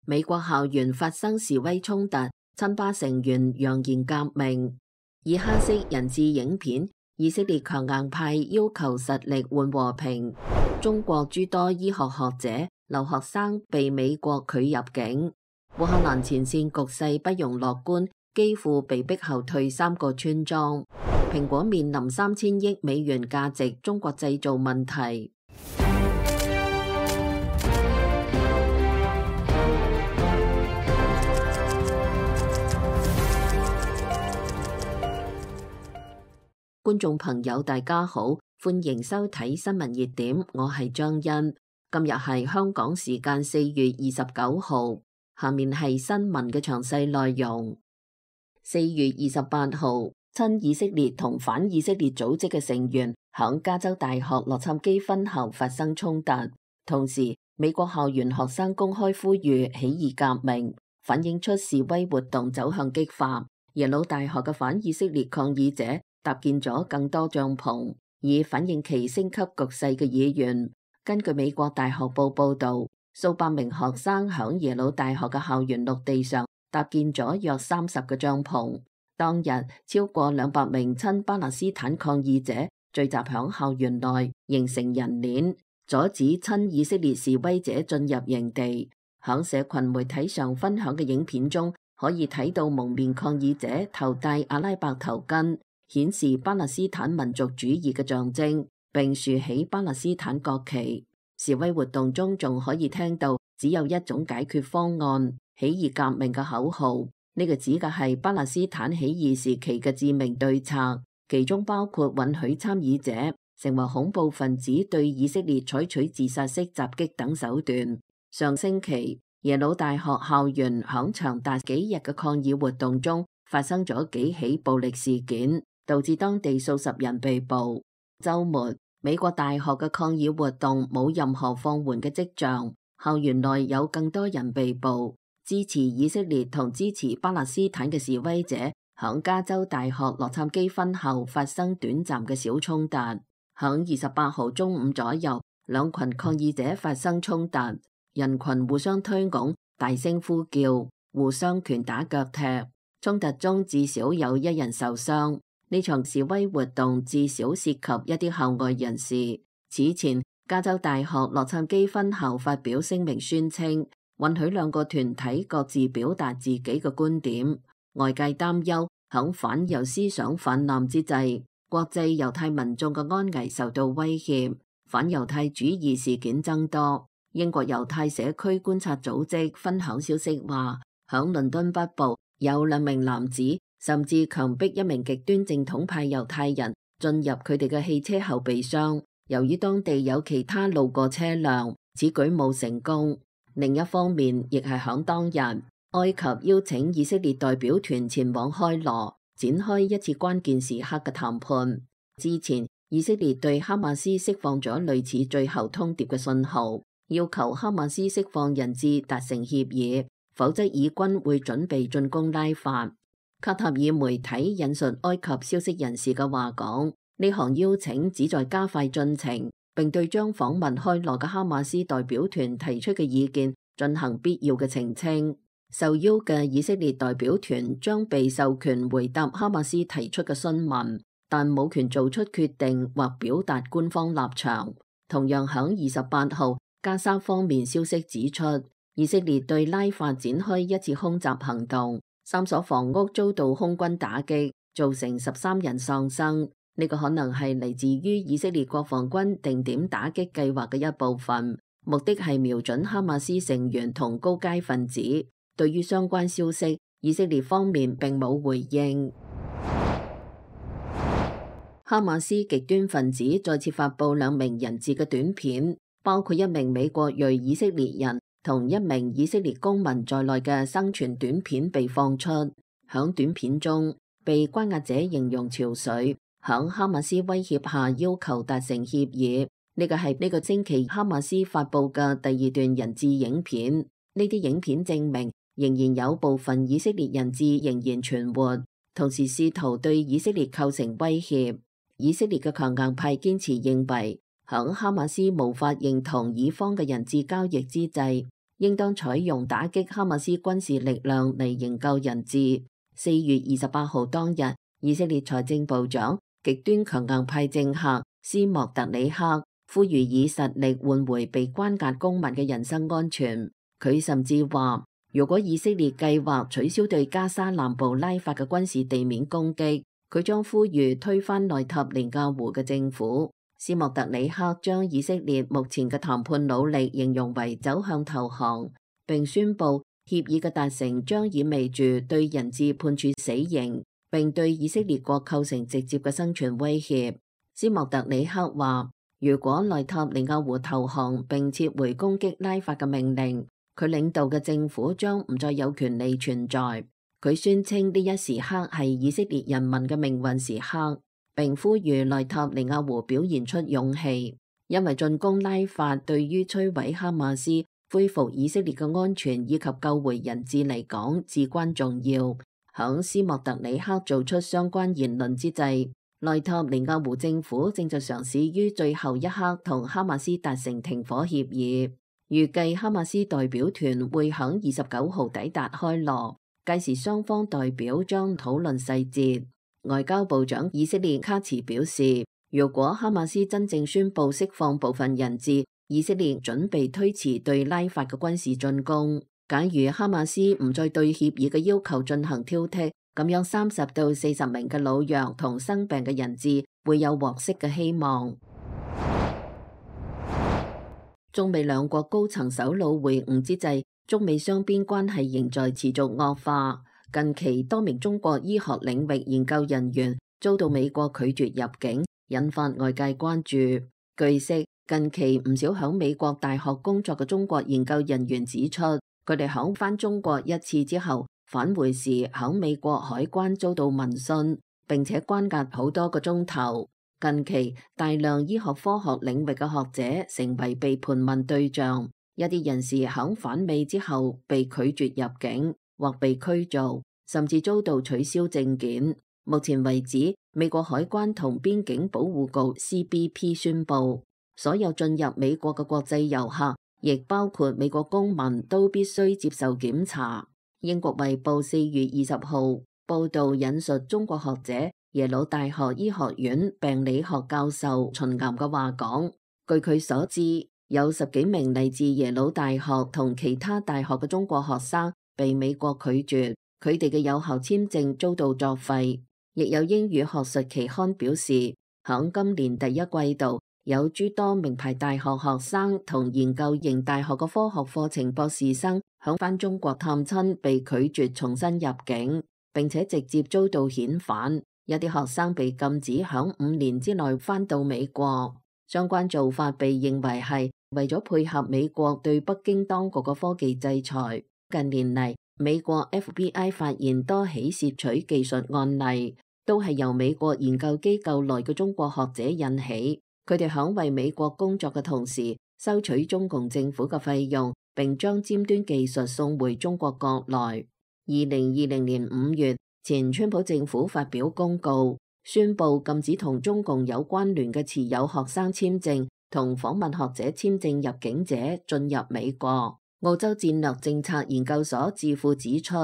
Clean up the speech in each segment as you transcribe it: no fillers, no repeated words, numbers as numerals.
美國校園發生示威衝突，親巴成員揚言革命。以哈式人質影片，以色列強硬派要求實力換和平。中國諸多醫學學者、留學生被美國拒入境。烏克蘭前線局勢不容樂觀，幾乎被逼後退3個村莊。蘋果面臨3000億美元價值中國製造問題。觀眾朋友大家好，歡迎收睇新聞熱點，我係張欣。今日係香港時間4月29號，下面係新聞嘅詳細內容。4月28號，親以色列同反以色列組織嘅成員響加州大學洛杉磯分校發生衝突，同時美國校園學生公開呼籲起義革命，反映出示威活動走向激化。耶魯大學嘅反以色列抗議者搭建咗更多帳篷，以反映其升級局勢嘅意願。根據美國大學報報導，數百名學生響耶魯大學嘅校園陸地上搭建咗約30個帳篷。當日超過200名親巴勒斯坦抗議者聚集響校園內，形成人鏈，阻止親以色列示威者進入營地。響社群媒體上分享嘅影片中，可以睇到蒙面抗議者頭戴阿拉伯頭巾，顯示巴勒斯坦民族主義嘅象徵，並豎起巴勒斯坦國旗。示威活動中仲可以聽到只有一種解決方案，起義革命嘅口號。呢個指嘅係巴勒斯坦起義時期嘅致命對策，其中包括允許參與者成為恐怖分子，對以色列採取自殺式襲擊等手段。上星期，耶魯大學校園響長達幾日嘅抗議活動中發生咗幾起暴力事件，導致當地數十人被捕。週末，美國大學嘅抗議活動冇任何放緩嘅跡象，校園內有更多人被捕。支持以色列同支持巴勒斯坦嘅示威者響加州大學洛杉磯分校發生短暫嘅小衝突。響28號中午左右，兩群抗議者發生衝突，人群互相推拱，大聲呼叫，互相拳打腳踢。衝突中至少有1人受傷。呢場示威活動至少涉及一啲校外人士。此前，加州大學洛杉磯分校發表聲明宣稱，允許2個團體各自表達自己嘅觀點。外界擔憂響反猶思想泛濫之際，國際猶太民眾嘅安危受到威脅，反猶太主義事件增多。英國猶太社區觀察組織分享消息話，響倫敦北部有2名男子甚至強迫1名極端正統派猶太人進入佢哋嘅汽車後備箱。由於當地有其他路過車輛，此舉冇成功。另一方面，亦係響當日，埃及邀請以色列代表團前往開羅，展開一次關鍵時刻嘅談判。之前，以色列對哈馬斯釋放咗類似最後通牒嘅信號，要求哈馬斯釋放人質達成協議，否則以軍會準備進攻拉法。卡塔爾媒體引述埃及消息人士嘅話講，呢項邀請旨在加快進程，並對將訪問開羅嘅哈馬斯代表團提出嘅意見進行必要嘅澄清。受邀嘅以色列代表團將被授權回答哈馬斯提出嘅詢問，但冇權做出決定或表達官方立場。同樣響28號，加沙方面消息指出，以色列對拉法展開一次空襲行動，3所房屋遭到空軍打擊，造成13人喪生。呢個可能係嚟自於以色列國防軍定點打擊計劃嘅一部分，目的係瞄準哈馬斯成員同高階分子。對於相關消息，以色列方面並冇回應。哈馬斯極端分子再次發布2名人質嘅短片，包括1名美國裔以色列人同1名以色列公民在內嘅生存短片被放出。響短片中，被關押者形容憔悴，響哈馬斯威脅下要求達成協議。呢個係呢個星期哈馬斯發布嘅第2段人質影片。呢啲影片證明仍然有部分以色列人質仍然存活，同時試圖對以色列構成威脅。以色列嘅強硬派堅持認為，響哈馬斯無法認同以方嘅人質交易之際，應當採用打擊哈馬斯軍事力量嚟營救人質。4月28號當日，以色列財政部長極端強硬派政客斯莫特里克呼籲以實力換回被關押公民嘅人身安全。佢甚至話，如果以色列計劃取消對加沙南部拉法嘅軍事地面攻擊，佢將呼籲推翻內塔尼亞胡嘅政府。斯莫特里克將以色列目前嘅談判努力形容為走向投降，並宣布協議嘅達成將意味住對人質判處死刑，並對以色列國構成直接嘅生存威脅。斯莫特里克話，如果內塔尼亞胡投降並撤回攻擊拉法嘅命令，佢領導嘅政府將唔再有權利存在。佢宣稱呢一時刻係以色列人民嘅命運時刻，並呼籲內塔尼亞胡表現出勇氣，因為進攻拉法對於摧毀哈馬斯、恢復以色列嘅安全以及救回人質嚟講至關重要。響斯莫特里克做出相關言論之際，內塔尼亞胡政府正在嘗試於最後一刻同哈馬斯達成停火協議，預計哈馬斯代表團會響29號抵達開羅，屆時雙方代表將討論細節。外交部長以色列卡茨表示，如果哈馬斯真正宣布釋放部分人質，以色列準備推遲對拉法嘅軍事進攻。假如哈馬斯唔再對協議嘅要求進行挑剔，咁樣30到40名嘅老弱同生病嘅人質會有獲釋嘅希望。中美兩國高層首腦會晤之際，中美雙邊關係仍在持續惡化。近期多名中國醫學領域研究人員遭到美國拒絕入境，引發外界關注。據悉，近期唔少響美國大學工作嘅中國研究人員指出，佢哋響返中國一次之後返回時，響美國海關遭到問訊，並且關押好多個鐘頭。近期大量醫學科學領域嘅學者成為被盤問對象，一啲人士響返美之後被拒絕入境或被驅逐，甚至遭到取消證件。目前為止，美國海關同邊境保護局 CBP 宣布，所有進入美國嘅國際遊客，亦包括美國公民，都必須接受檢查。英國衛報4月20號報道引述中國學者耶魯大學醫學院病理學教授秦岩嘅話講，據佢所知，有10幾名嚟自耶魯大學同其他大學嘅中國學生被美國拒絕，佢哋嘅有效簽證遭到作廢。亦有英語學術期刊表示，響今年第一季度，有諸多名牌大學學生同研究型大學嘅科學課程博士生響返中國探親被拒絕重新入境，並且直接遭到遣返。有啲學生被禁止響5年之內返到美國。相關做法被認為係為咗配合美國對北京當局嘅科技制裁。近年嚟，美國 FBI 發現多起竊取技術案例，都係由美國研究機構內嘅中國學者引起。佢哋響為美國工作嘅同時，收取中共政府嘅費用，並將尖端技術送回中國國內。2020年5月，前川普政府發表公告，宣布禁止同中共有關聯嘅持有學生簽證同訪問學者簽證入境者進入美國。澳洲戰略政策研究所智庫指出，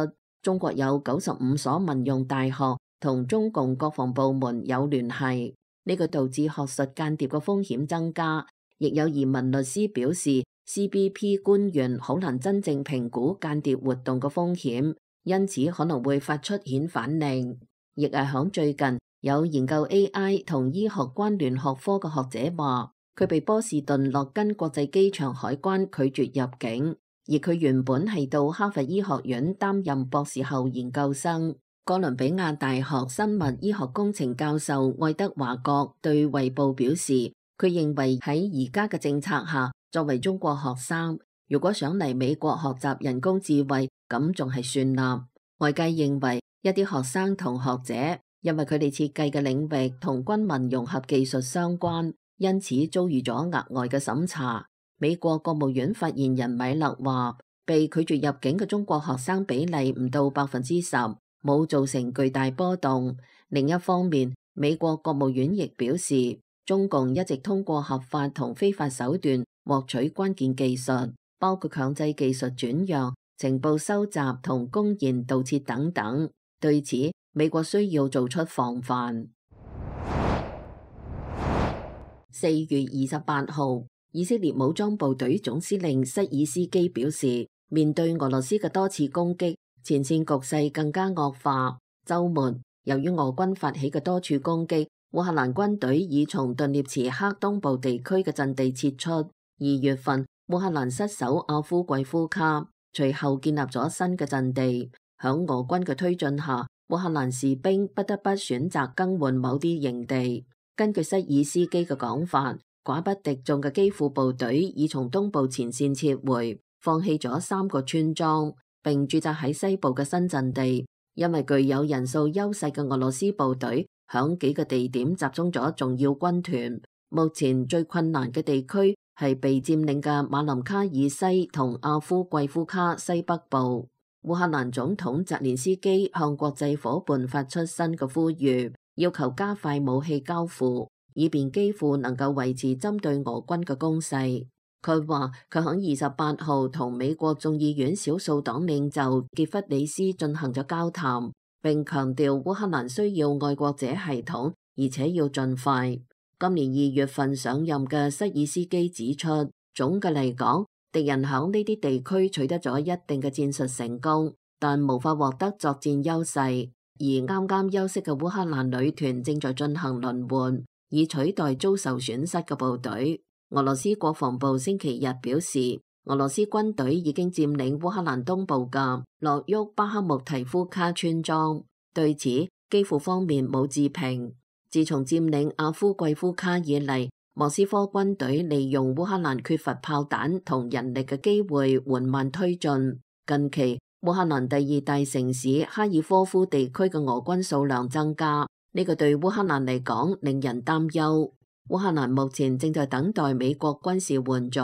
中國有95所民用大學同中共國防部門有聯繫，呢個導致學術間諜嘅風險增加。亦有移民律師表示，CBP 官員好難真正評估間諜活動嘅風險，因此可能會發出遣返令。亦係響最近，有研究 AI 同醫學關聯學科嘅學者話，佢被波士頓諾根國際機場海關拒絕入境，而佢原本係到哈佛醫學院擔任博士後研究生。哥倫比亞大學生物醫學工程教授愛德華國對衛報表示，佢認為喺而家嘅政策下，作為中國學生，如果想嚟美國學習人工智慧，咁仲係算啦。外界認為一啲學生同學者因為佢哋設計嘅領域同軍民融合技術相關，因此遭遇咗額外嘅審查。美國國務院發言人米勒話，被拒絕入境嘅中國學生比例唔到10%，冇造成巨大波動。另一方面，美國國務院亦表示，中共一直通過合法同非法手段獲取關鍵技術，包括強制技術轉讓、情報收集同公然盜竊等等。對此，美國需要做出防範。4月28號，以色列武裝部隊總司令塞爾斯基表示，面對俄羅斯嘅多次攻擊，前線局勢更加惡化。週末，由於俄軍發起嘅多處攻擊，烏克蘭軍隊已從頓涅茨克東部地區嘅陣地撤出。2月份，烏克蘭失守阿夫季夫卡，隨後建立咗新嘅陣地。響俄軍嘅推進下，烏克蘭士兵不得不選擇更換某啲營地。根據塞爾斯基嘅講法，寡不敵眾嘅基輔部隊已從東部前線撤回，放棄咗3個村莊，並駐紮喺西部嘅新陣地。因為具有人數優勢嘅俄羅斯部隊響幾個地點集中咗重要軍團。目前最困難嘅地區係被佔領嘅馬林卡爾西同阿夫季夫卡西北部。烏克蘭總統澤連斯基向國際夥伴發出新嘅呼籲，要求加快武器交付，以便基輔能夠維持針對俄軍嘅攻勢。佢話佢喺28號同美國眾議院少數黨領袖傑弗里斯進行咗交談，並強調烏克蘭需要愛國者系統，而且要盡快。今年2月份上任嘅塞爾斯基指出，總嘅嚟講，敵人喺呢啲地區取得咗一定嘅戰術成功，但無法獲得作戰優勢。而啱啱休息嘅烏克蘭女團正在進行輪換，以取代遭受損失嘅部隊。俄羅斯國防部星期日表示，俄羅斯軍隊已經佔領烏克蘭東部嘅諾沃巴克穆提夫卡村莊。對此，基輔方面冇置評。自從佔領阿夫季夫卡以嚟，莫斯科軍隊利用烏克蘭缺乏炮彈同人力嘅機會緩慢推進。近期，烏克蘭第2大城市哈爾科夫地區嘅俄軍數量增加，呢個對烏克蘭嚟講令人擔憂。烏克蘭目前正在等待美國軍事援助。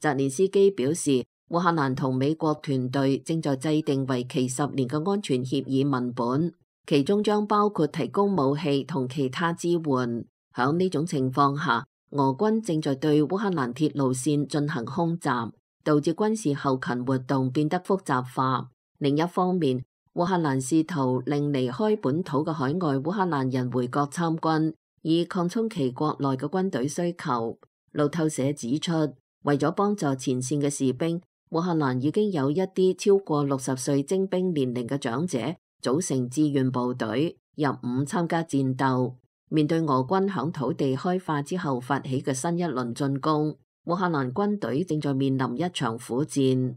澤連斯基表示，烏克蘭同美國團隊正在制定為期10年嘅安全協議文本，其中將包括提供武器同其他支援。響呢種情況下，俄軍正在對烏克蘭鐵路線進行空襲，導致軍事後勤活動變得複雜化。另一方面，烏克蘭試圖令離開本土嘅海外烏克蘭人回國參軍，以擴充其國內嘅軍隊需求。路透社指出，為咗幫助前線嘅士兵，烏克蘭已經有一啲超過60歲徵兵年齡嘅長者組成志願部隊入伍參加戰鬥。面對俄軍響土地開發之後發起嘅新一輪進攻，烏克蘭軍隊正在面臨一場苦戰。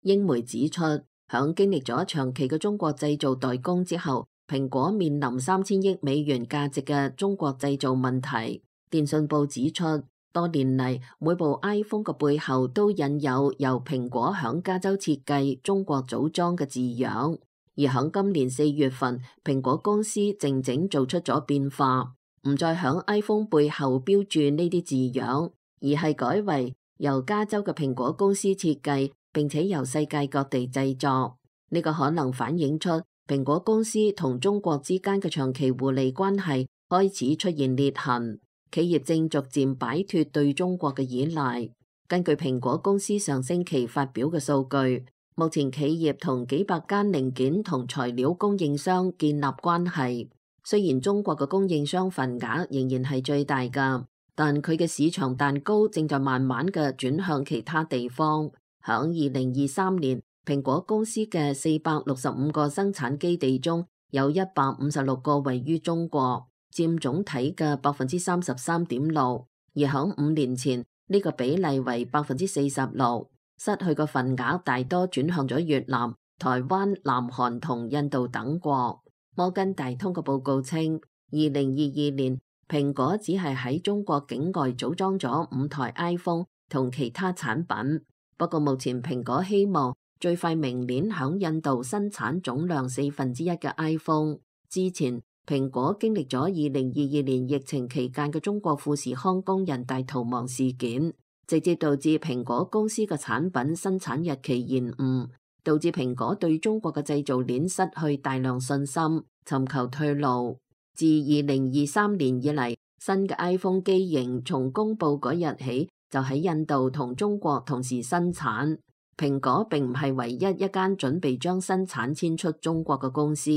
英媒指出，響經歷咗長期嘅中國製造代工之後，蘋果面臨3000億美元價值嘅中國製造問題。電訊報指出，多年嚟每部 iPhone 嘅背後都印有由蘋果響加州設計、中國組裝嘅字樣。而響今年4月份，蘋果公司靜靜做出咗變化，唔再響 iPhone 背後標注呢啲字樣，而係改為由加州嘅蘋果公司設計，並且由世界各地製作。呢個可能反映出蘋果公司同中國之間嘅長期互利關係開始出現裂痕，企業正逐漸擺脫對中國嘅依賴。根據蘋果公司上星期發表嘅數據，目前企業同幾百間零件同材料供應商建立關係。雖然中國嘅供應商份額仍然係最大㗎，但佢嘅市場蛋糕正在慢慢嘅轉向其他地方。響2023年，蘋果公司嘅465個生產基地中有156個位於中國，佔總體嘅33.6%，而響5年前呢個比例為46%。失去嘅份額大多轉向咗越南、台灣、南韓同印度等國。摩根大通嘅報告稱，2022年蘋果只係喺中國境外組裝咗5台 iPhone 同其他產品。不過目前蘋果希望最快明年響印度生產總量1/4嘅 iPhone。之前蘋果經歷咗2022年疫情期間嘅中國富士康工人大逃亡事件，直接導致蘋果公司嘅產品生產日期延誤，導致蘋果對中國嘅製造鏈失去大量信心，尋求退路。自2023年以嚟，新嘅 iPhone 機型從公佈嗰日起就喺印度同中國同時生產。蘋果並唔係唯一一間準備將生產遷出中國嘅公司。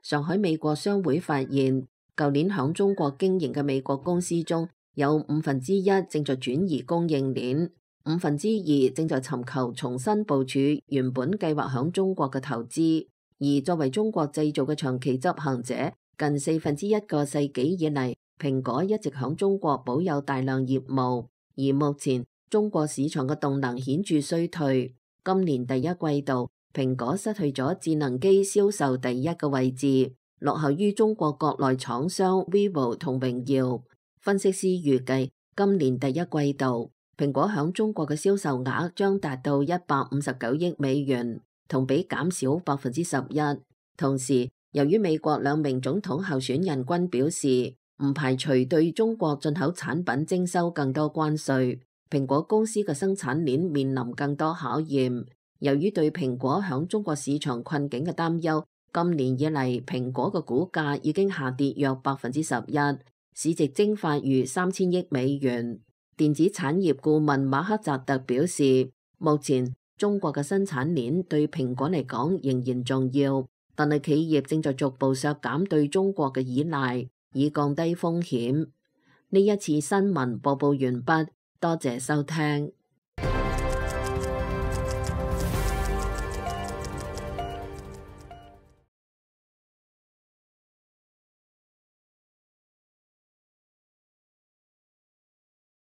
上海美國商會發現，舊年響中國經營嘅美國公司中有1/5正在轉移供應鏈，2/5正在尋求重新部署原本計劃響中國嘅投資。而作為中國製造嘅長期執行者，近1/4個世紀以嚟，蘋果一直響中國保有大量業務。而目前中國市場嘅動能顯著衰退。今年第一季度，蘋果失去咗智能機銷售第一個位置，落後於中國國內廠商 vivo 同榮耀。分析師預計今年第一季度，蘋果響中國嘅銷售額將達到159億美元，同比減少11%。同時，由於美國2名總統候選人均表示唔排除對中國進口產品徵收更多關稅，蘋果公司嘅生產鏈面臨更多考驗。由於對蘋果響中國市場困境嘅擔憂，今年以嚟蘋果嘅股價已經下跌約11%，市值蒸發逾3000億美元。電子產業顧問馬克扎特表示，目前中國嘅生產鏈對蘋果嚟講仍然重要，但係企業正在逐步削減對中國嘅依賴，以降低風險。呢一次新聞播報完畢，多謝收聽。